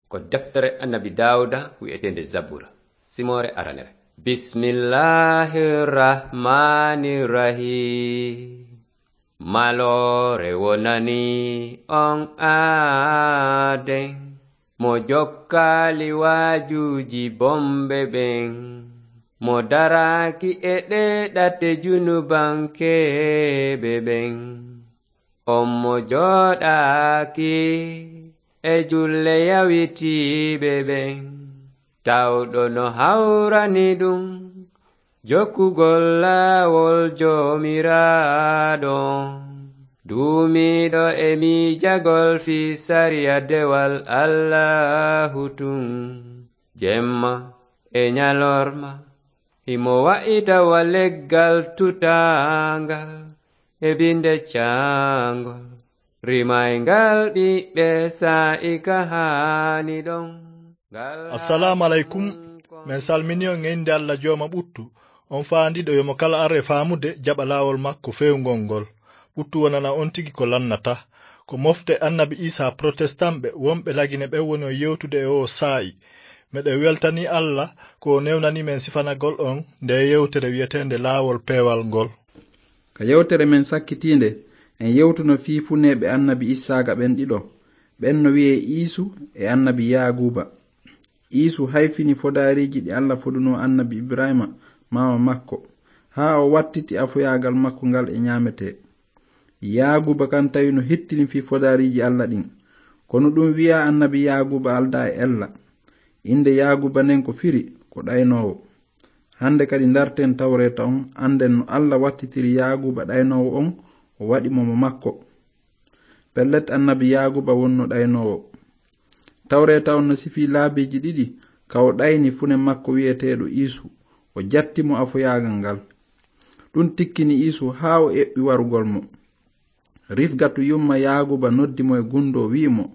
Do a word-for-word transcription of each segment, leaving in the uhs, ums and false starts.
Ko deftere Annabi Daawuda wi'eteende Zabura, simoore aranere. Bismillahir Rahmanir Rahim. Maloore wonani on aaden, mo jokkaali waajuuji bonɓe ɓen, mo daraaki e ɗee ɗate junubankeeɓe ɓen. On mo jooɗaaki e julle yawitiiɓe ɓen, tawɗo no hawrani ɗum jokkugol laawol Joomiraaɗo. Duumiiɗo e miijagol fii sariya dewal Allaahu tun, jemma e ñalorma, himo wa'ita wa leggal tutaangal e binde caangol, rimayngal ɓiɓɓe saa'i ka haani ɗon. Ngal Assalaamu aleykum. Men salmini on e innde Alla Jooma ɓuttu, on faandiiɗo yo mo kala ar e faamude jaɓa laawol makko feewngol ngol. Ɓuttu wonana on tigi ko lannata. Ko mofte Annabi Iisaa protestant ɓe wonɓe Lagine ɓen woni on yewtude e oo saa'i. Meɗen weltanii Alla ko o newnanii men sifanagol on ndee yewtere wi'eteende Laawol Peewal ngol. Ka yewtere men sakkitiinde, en yewtuno fii funeeɓe Annabi Issaaqa ɓen ɗiɗo. Ɓen no wi'ee Iisu e Annabi Yaaguuba. Iisu hayfini fodaariiji ɗi Alla fodunoo Annabi Ibrahiima, maama makko, haa o wattiti afoyaagal makko ngal e ñaametee. Yaaguuba kan tawi no hittini fii fodaariiji Alla ɗin. Kono ɗun wi'aa Annabi Yaaguuba aldaa e ella. Innde Yaaguuba nden ko firi ko ɗaynoowo. Hannde kadi ndarten Tawreeta on, annden no Alla wattitiri Yaaguuba ɗaynoowo on, o waɗi mo mo makko. Pellet, Annabi Yaaguuba wonno ɗaynoowo. Tawreeta on no sifii laabiiji ɗiɗi ka o ɗayni fune makko wi'eteeɗo Iisu, o jatti mo afoyaagal ngal. Ɗun tikkini Iisu haa o eɓɓi warugol mo. Rifgatu yumma Yaaguuba noddi mo e gundoo, wi'i mo,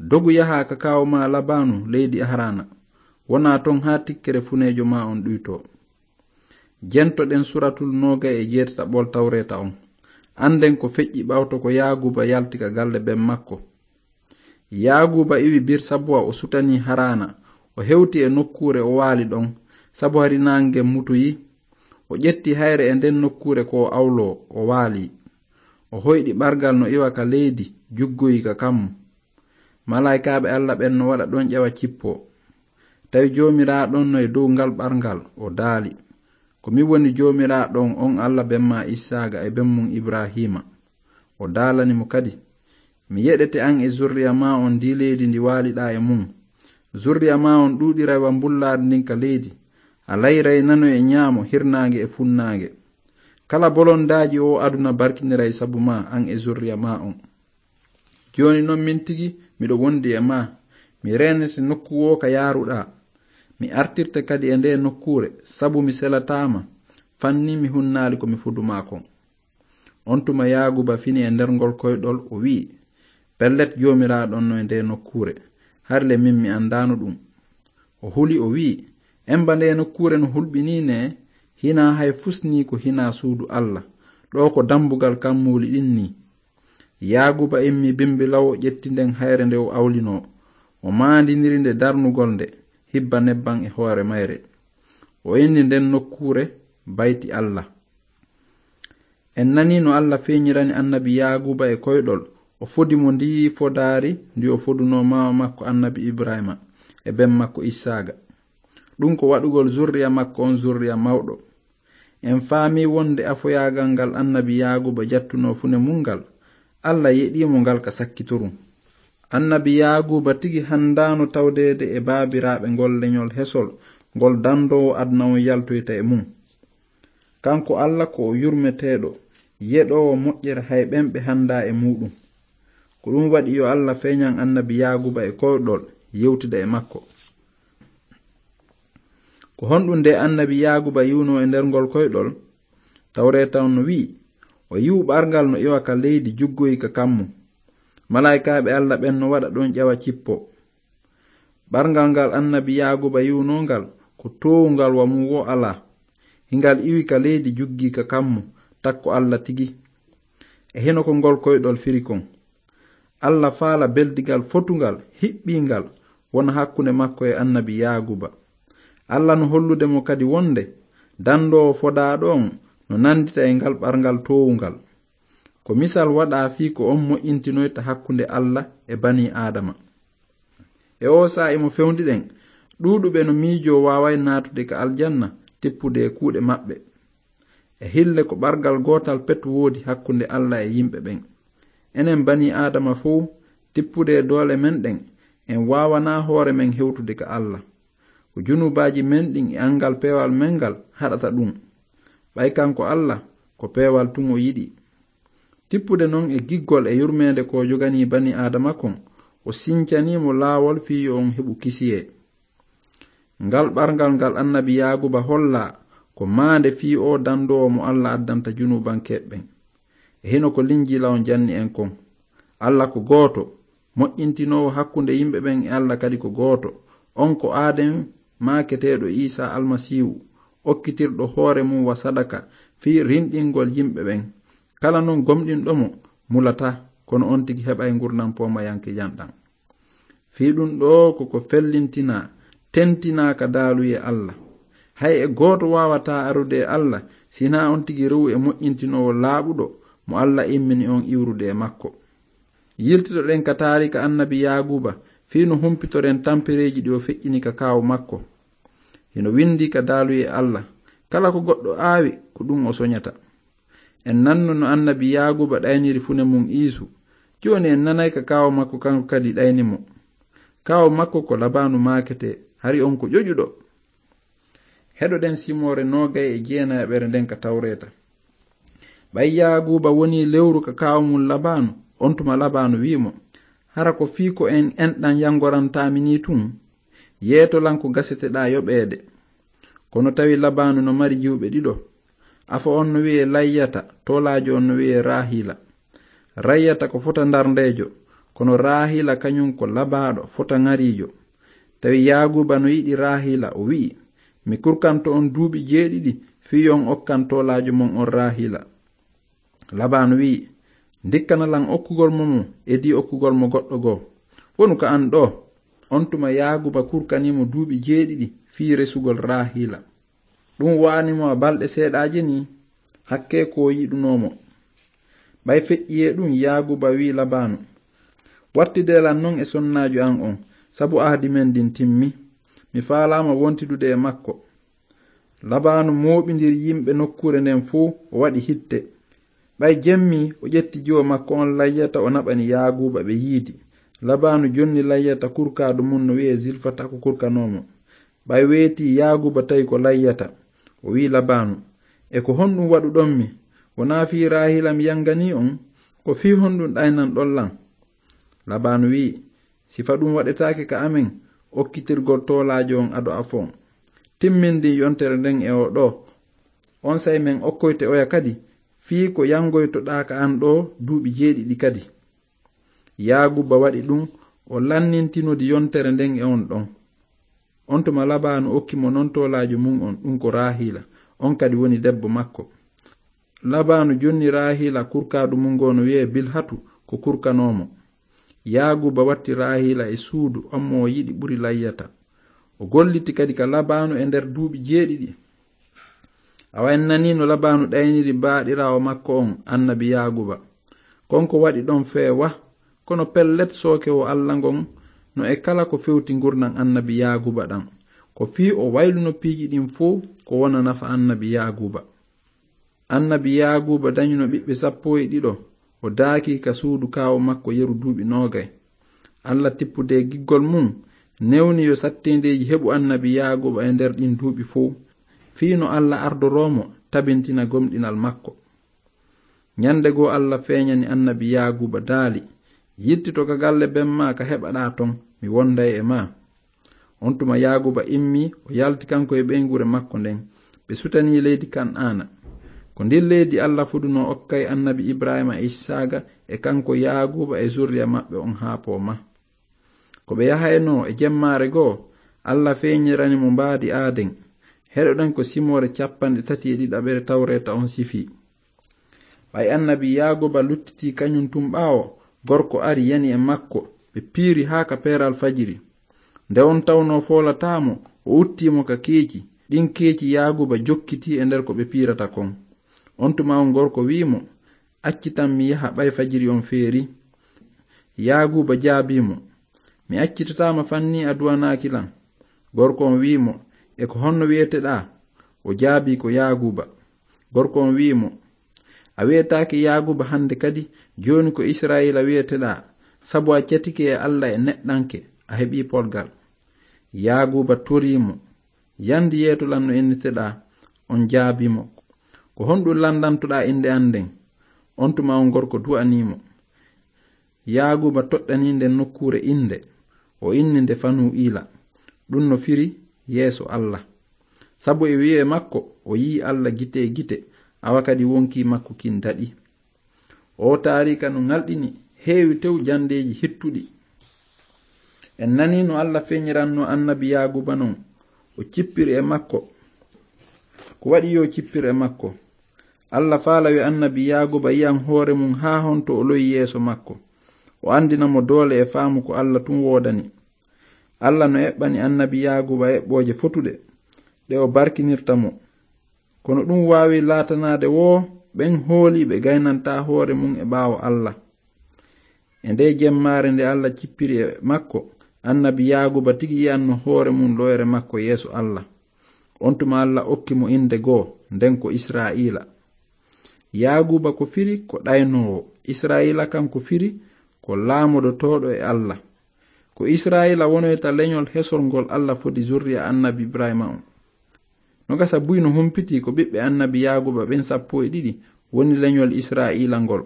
"Dogu yahaa ka kaaw maa Labaanu leydi Haraana. Wonaa ton haa tikkere funeejo maa on ɗuytoo." Jentoɗen suratul noogay e jeetataɓol Tawreeta on. Annden ko feƴƴi ɓawto ko Yaaguuba yalti ka galle ben makko. Yaaguuba iwi Birsabuwa, o sutanii Haraana, o hewti e nokkuure o waali ɗon, sabu hari naange ngen mutoyi. O ƴetti hayre e nden nokkuure ko o awloo, o waali. O hoyɗi ɓargal no iwa ka leydi, juggoyi ka kammu. Malaa'ikaaɓe Alla ɓen no waɗa ɗon ƴawa cippoo. Tawi Joomiraaɗo on no e dow ngal ɓargal, o daali, "Ko min woni Joomiraaɗo on, on Alla ben maa Issaaqa e ben mun Ibraahiima." O daalani mo kadi, "Mi yeɗete an e zurriya maa on ndii leydi ndi waaliɗaa e mun. Zurriya maa on ɗuuɗiray wa mbullaari ndin ka leydi. A layray nano e ñaamo, hirnaange e funnaange. Kala bolondaaji oo aduna barkiniray sabu maa, an e zurriya maa on. Jooni non min tigi miɗo wondi e maa. Mi reenete nokku woo ka yaaruɗaa. Mi artirte kadi e ndee nokkuure, sabu mi selataa ma, fanni mi hunnaali ko mi fodu maa kon." On tuma Yaaguuba fini e nder ngol koyɗol, o wi'i, "Pellet, Joomiraaɗo on no e ndee nokkuure. Hari le min mi anndaano ɗun." O huli, o wi'i, "Emba ndee nokkuure no hulɓinii nee, hinaa hay fusnii ko hinaa suudu Alla. Ɗoo ko dambugal kammuuli ɗin nii." Yaaguuba immii bimbi law, o ƴetti nden hayre nde o awlinoo. O maandiniri nde darnugol nde, hibba nebban e hoore mayre. O inni nden nokkuure Bayti Alla. En nanii no Alla feeñirani Annabi Yaaguuba e koyɗol, o fodi mo ndii fodaari ndi o fodunoo maama makko Annabi Ibraahiima e ben makko Issaaqa. Ɗun ko waɗugol zurriya makko on zurriya mawɗo. En faamii wonde afoyaagal ngal Annabi Yaaguuba jattunoo fune mun ngal, Alla yeɗii mo ngal ka sakkitorun. Annabi Yaaguuba tigi handaano tawdeede e baabiraaɓe ngol leñol hesol ngol dandoowo aduna on yaltoyta e mun. Kanko Alla ko o yurmeteeɗo, yeɗoowo moƴƴere hay ɓen ɓe handaa e muuɗun. Ko ɗun waɗi yo Alla feeñan Annabi Yaaguuba e koyɗol, yewtida e makko. Ko honɗun nde Annabi Yaaguuba yi'unoo e nder ngol koyɗol? Tawreeta on no wi'i, o yi'u ɓarngal no iwa ka leydi, juggoyi ka kammu. Malaa'ikaaɓe Alla ɓen no waɗa ɗon ƴawa cippo. Ɓarngal ngal Annabi Yaaguuba yi'unoo ngal, ko toowungal, wa mun woo alaa. Hingal iwi ka leydi, juggi ka kammu, takko Alla tigi. E hino ko ngol koyɗol firi kon. Alla faala beldigal fotungal, hiɓɓiingal, wona hakkunde makko e annabi Yaaguba. Alla no hollude mo kadi wonde dandoowo fodaaɗo on no nandita e ngal ɓarngal toowungal. Ko misal waɗaa fii ko on moƴƴintinoyta hakkunde Alla e banii Aadama. E oo saa'i mo fewndi ɗen, ɗuuɗuɓe no miijoo waaway naatude ka aljanna tippude e kuuɗe maɓɓe. E hille ko ɓargal gootal pet woodi hakkunde Alla e yimɓe ɓen. Enen banii Aadama fow, tippude e doole men ɗen, en waawanaa hoore men hewtude ka Alla. Ko junubaaji men ɗin e anngal peewal men ngal haɗata ɗum. Ɓay kanko Alla, ko peewal tun o yiɗi. Tippude non e giggol e yurmeende ko joganii banii Aadama kon, o sincanii mo laawol fii yo on heɓu kisiyee. Ngal ɓarngal ngal annabi Yaaguba hollaa ko maande fii oo dandoowo mo Alla addanta junuubankeeɓe ɓen. E hino ko Linjiila on janni en kon. Alla ko gooto, moƴƴintinoowo hakkunde yimɓe ɓen e Alla kadi ko gooto. On ko Aaden maaketeeɗo Iisaa Almasiihu, okkitirɗo hoore mum wa sadaka fii rinɗingol yimɓe ɓen. Kala non gomɗinɗo mo, mulataa, kono on tigi heɓay ngurndan poomayanke janɗan. Fii ɗun ɗoo ko ko fellintinaa, tentinaa ka daaluyee Alla. Hay e gooto waawataa arude e Alla, si hinaa on tigi rewu e moƴƴintinoowo laaɓuɗo mo Alla immini on iwrude e makko. Yiltitoɗen ka taariika annabi Yaaguuba, fii no humpitoren tampereeji ɗi o feƴƴini ka kaaw makko. Hino windii ka daaluyee Alla, kala ko goɗɗo aawi, ko ɗun o soñata. En nanno no annabi Yaaguuba ɗayniri fune mun Iisu. Jooni en nanay ka kaaw makko kanko kadi ɗayni mo. Kaaw makko ko Labaanu maaketee, hari on ko ƴoƴuɗo. Heɗoɗen simoore noogay e jeenayaɓere nden ka Tawreeta. Ɓay Yaaguuba wonii lewru ka kaaw mun Labaanu, on tuma Labaanu wi'i mo, hara ko fii ko en enɗan yangorantaami nii tun? Yeeto lan ko gaseteɗaa yoɓeede. Kono tawi Labaanu no mari jiwɓe ɗiɗo. Afo on no wi'ee Layyata, toolaajo on no wi'ee Raahiila. Rayyata ko fota ndarndeejo, kono Raahiila kañun ko labaaɗo, fota ŋariijo. Tawi Yaaguuba no yiɗi Raahiila, o wi'i, mi kurkanto on duuɓi jeeɗiɗi, fii yo on okkan toolaajo mon on Raahiila. Labaanu wi'i, ndikkana lan okkugol mo mo, edii okkugol mo goɗɗo goo. Wonu ka an ɗoo. On tuma Yaaguuba kurkanii mo duuɓi jeeɗiɗi fii resugol Raahiila. Ɗun wa'ani mo a balɗe seeɗaaje nii, hakkee ko o yiɗunoo mo. Ɓay feƴƴii e ɗun, Yaaguuba wi'i Labaanu, wattidee lan non e sonnaajo an on, sabu ahdi men ndin timmi. Mi faalaama wontidude e makko. Labaanu mooɓindiri yimɓe nokkuure nden fow, o waɗi hitte. Ɓay jemmi, o ƴetti jiwo makko on Layyata, o naɓani Yaaguuba ɓe yiidi. Labaanu jonni Layyata kurkaadu mun no wi'ee Zilfata ko kurkanoo mo. Ɓay weetii Yaaguuba tawi ko Layyata. O wi'i Labaanu, e ko honɗun waɗuɗon mi? Wonaa fii Raahiila mi yanganii on? Ko fii honɗun ɗaynanɗon lan? Labaanu wi'i, sifa ɗun waɗetaake ka amen, okkitirgol toolaajo on ado afo on. Timmindin yontere nden e oo ɗoo. Onsay men okkoyte oya kadi, fii ko yangoytoɗaa ka an ɗoo duuɓi jeeɗiɗi kadi. Yaaguuba waɗi ɗun, o lannintinodi yontere nden e on ɗon. On tuma Labaanu okki mo non toolaajo mun on, ɗun ko Raahiila, on kadi woni debbo makko. Labaanu jonni Raahiila kurkaadu mun goo no wi'ee Bilhatu ko kurkanoo mo. Yaaguuba watti Raahiila e suudu, on mo o yiɗi ɓuri Layyata. O golliti kadi ka Labaanu e nder duuɓi jeeɗiɗi. Awa en nanii no Labaanu ɗayniri baaɗiraawo makko on, annabi Yaaguuba. Kon ko waɗi ɗon fee wah, kono pellet sooke wo Alla ngon no e kala ko fewti ngurndan annabi Yaaguuba ɗan. Ko fii o wayluno piiji ɗin fow ko wona nafa annabi Yaaguuba. Annabi Yaaguuba dañuno ɓiɓɓe sappo e ɗiɗo, o daaki ka suudu kaaw makko yeru duuɓi noogay. Alla tippude giggol mun, newni yo satteendeeji heɓu annabi Yaaguuba e nder ɗin duuɓi fow, fii no Alla ardoroo mo tabintina gomɗinal makko. Ñande goo Alla feeñani annabi Yaaguuba daali, yittito ka galle ben maa ka heɓaɗaa ton, mi wonday e maa. On tuma Yaaguuba immii, o yalti kanko e ɓeynguure makko nden. Ɓe sutanii leydi Kan'aana. Ko ndin leydi Alla fudunoo okkay annabi Ibrahiima e Isaaqa e kanko Yaaguuba e zurriya maɓɓe on haa pooma. Ko ɓe yahaynoo e jemmaare goo, Alla feeñirani mo mbaadi aaden. Heɗoɗen ko simoore cappanɗe tati e ɗiɗaɓere Tawreeta on sifii. Ɓay annabi Yaaguuba luttitii kañun tun ɓaawo, gorko ari yani e makko, ɓe piiri haa ka peeral fajiri. Nde on tawnoo foolataa mo, o uttii mo ka keeci. Ɗin keeci Yaaguuba jokkitii e nder ko ɓe piirata kon. On tuma on gorko wi'i mo, "Accitan mi yaha ɓay fajiri on feeri." Yaaguuba jaabii mo, "Mi accitataa ma fanni a duwanaaki lan." Gorko on wi'i mo, "E ko honno wi'eteɗaa?" O jaabii ko Yaaguuba. Gorko on wi'i mo, "A wi'etaake Yaaguuba hande kadi, jooni ko Isra'iila wi'eteɗaa, sabu a catike e Alla e neɗɗanke, a heɓii polgal." Yaaguuba torii mo, "Yandi yeeto lan no inneteɗaa." On jaabii mo, "Ko honɗun landantoɗaa innde an nden?" On tuma on gorko du'anii mo. Yaaguuba toɗɗanii nden nokkuure innde, o inni nde Fanu'iila. Ɗun no firi yeeso Alla. Sabu e wi'e makko, o yi'i Alla gite e gite, awa kadi wonkii makko kin daɗi. Oo taariika no ŋalɗini, heewi tew jandeeji hittuɗi. En nanii no Alla feeñirannoo annabi Yaaguuba non, o cippiri e makko. Ko waɗi yo cippir e makko? Alla faalawi annabi Yaaguuba yi'an hoore mun haa honto o lo'i yeeso makko. O andina mo doole e faamu ko Alla tun woodani. Alla no eɓɓani annabi Yaaguuba eɓɓooje fotuɗe, ɗe o barkinirta mo. Kono ɗun waawi laatanaade woo ɓen hooliiɓe gaynantaa hoore mun e ɓaawo Alla. E ndee jemmaare nde Alla cippiri e makko, annabi Yaaguuba tigi yi'anno hoore mun lo'ere makko yeeso Alla. On tuma Alla okki mo innde goo, nden ko Isra'iila. Yaaguuba ko firi ko ɗaynoowo, Isra'iila kan ko firi ko laamodotooɗo e Alla. Ko Isra'iila wonoyta leñol hesol ngol Alla fodi zurriya annabi Ibraahiima on. No gasa buy no humpitii ko ɓiɓɓe annabi Yaaguuba ɓen sappo e ɗiɗi woni leñol Isra'iila ngol.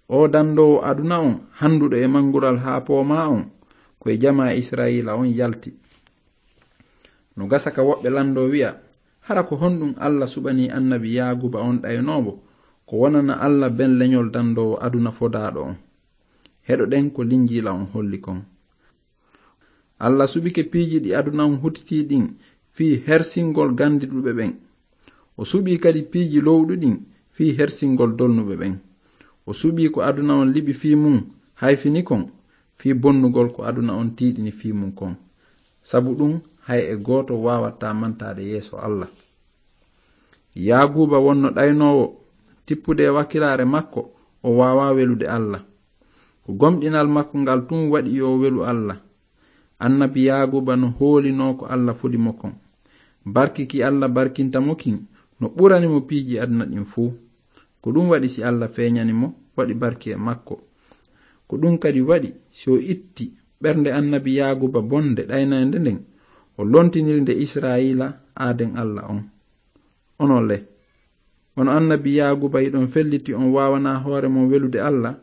Oo dandoowo aduna on, handuɗo e mangural haa poomaa on, ko e jamaa Isra'iila on yalti. No gasa ka woɓɓe landoo wi'a, hara ko honɗun Alla suɓanii annabi Yaaguuba on ɗaynoowo, ko wonana Alla ben leñol dandoowo aduna fodaaɗo on? Heɗoɗen ko Linjiila on holli kon. Alla suɓike piiji ɗi aduna on hutitii ɗin fii hersingol gandiɗuɓe ɓen. O suɓii kadi piiji lowɗuɗin fii hersingol dolnuɓe ɓen. O suɓii ko aduna on liɓi fii mun hayfini kon, fii bonnugol ko aduna on tiiɗini fii mun kon. Sabu ɗun, hay e gooto waawataa mantaade yeeso Alla. Yaaguuba wonno ɗaynoowo, tippude e wakkilaare makko, o waawaa welude Alla. Ko gomɗinal makko ngal tun waɗi yo o welu Alla. Annabi Yaaguuba no hoolinoo ko Alla fodi mo kon. Barki ki Alla barkinta mo kin no ɓurani mo piiji aduna ɗin fuu. Ko ɗun waɗi si Alla feeñani mo, waɗi barki e makko. Ko ɗun kadi waɗi si o itti ɓernde annabi Yaaguuba bonde ɗaynaynde nden, o lontiniri nde Isra'iila aaden Alla on. Onon le, ono annabi Yaaguuba hiɗon felliti on waawanaa hoore mon welude Alla?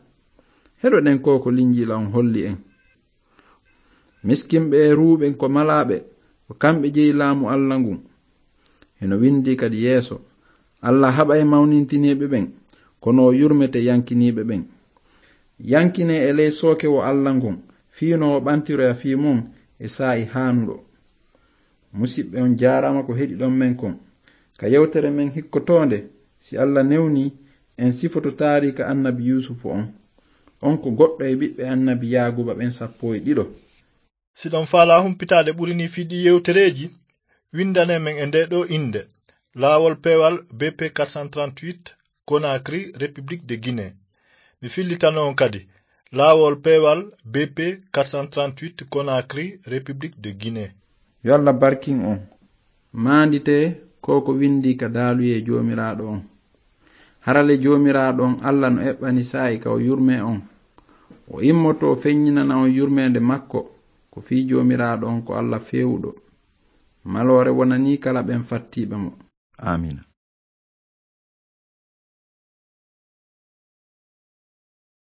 Heɗoɗen ko ko Linjiila on holli en. Miskinɓe e ruuɓe ko malaaɓe, ko kamɓe jeyi laamu Alla ngun. Hino windii kadi yeeso, "Alla haɓay mawnintiniiɓe ɓen, kono o yurmete yankiniiɓe ɓen." Yankinee e ley sooke wo Alla ngon, fii no o ɓantiroya fii mon e saa'i haanuɗo. Musiɓɓe, on jaaraama ko heɗiɗon men kon. Ka yewtere men hikkotoonde, si Alla newnii, en sifoto taariika annabi Yuusufu on. On ko goɗɗo e ɓiɓɓe annabi Yaaguuba ɓen sappo e ɗiɗo. Si ɗon faalaa humpitaade ɓuri nii fii ɗii yewtereeji, windanee men e ndee ɗoo innde, Laawol Peewal B P quatre cent trente-huit, Conakry, République de Guinée. Mi fillitano on kadi, Laawol Peewal B P quatre cent trente-huit, Conakry, République de Guinée. Yo Alla barkin on. Maanditee ko ko windii ka daaluyee Joomiraaɗo on. Harale Joomiraaɗo on Alla no eɓɓani saa'i ka o yurmee on. O immotoo feññinana on yurmeende makko, ko fii Joomiraaɗo on ko Alla feewuɗo. Maloore wonanii kala ɓen fattiiɓe mo. Aamiina.